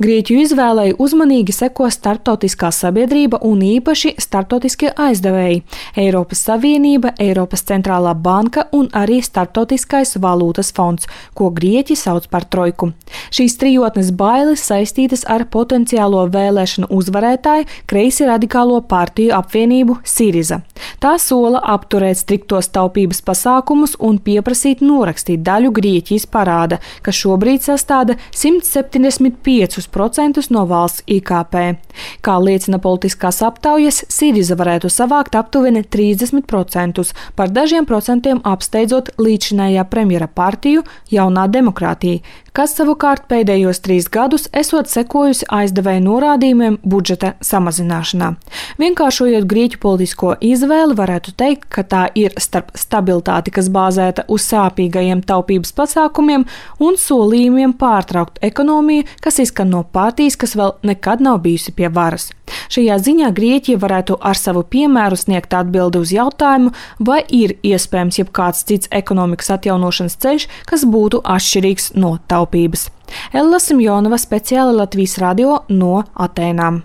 Grieķu izvēlei uzmanīgi seko starptautiskā sabiedrība un īpaši starptautiskie aizdevēji – Eiropas Savienība, Eiropas centrālā banka un arī Starptautiskais valūtas fonds, ko grieķi sauc par trojku. Šīs trijotnes bailes saistītas ar potenciālo vēlēšanu uzvarētāju kreisi radikālo partiju apvienību Siriza. Tā sola apturēt striktos taupības pasākumus un pieprasīt norakstīt daļu Grieķijas parāda, kas šobrīd sastāda 175% no valsts IKP. Kā liecina politiskās aptaujas, Siriza varētu savākt aptuveni 30%, par dažiem procentiem apsteidzot līdzinājā premjera partiju Jaunā demokrātija, kas savukārt pēdējos 3 gadus esot sekojusi aizdevēju norādījumiem budžeta samazināšanā. Vienkāršojot grieķu politisko izvēli, varētu teikt, ka tā ir starp stabilitāti, kas bāzēta uz sāpīgajiem taupības pasākumiem un solījumiem pārtraukt ekonomiju, kas izskan no partijas, kas vēl nekad nav bijusi pie varas. Šajā ziņā Grieķija varētu ar savu piemēru sniegt atbildi uz jautājumu, vai ir iespējams jebkāds cits ekonomikas atjaunošanas ceļš, kas būtu atšķirīgs no taupības. Ella Simjonova, speciāli Latvijas radio no Atēnām.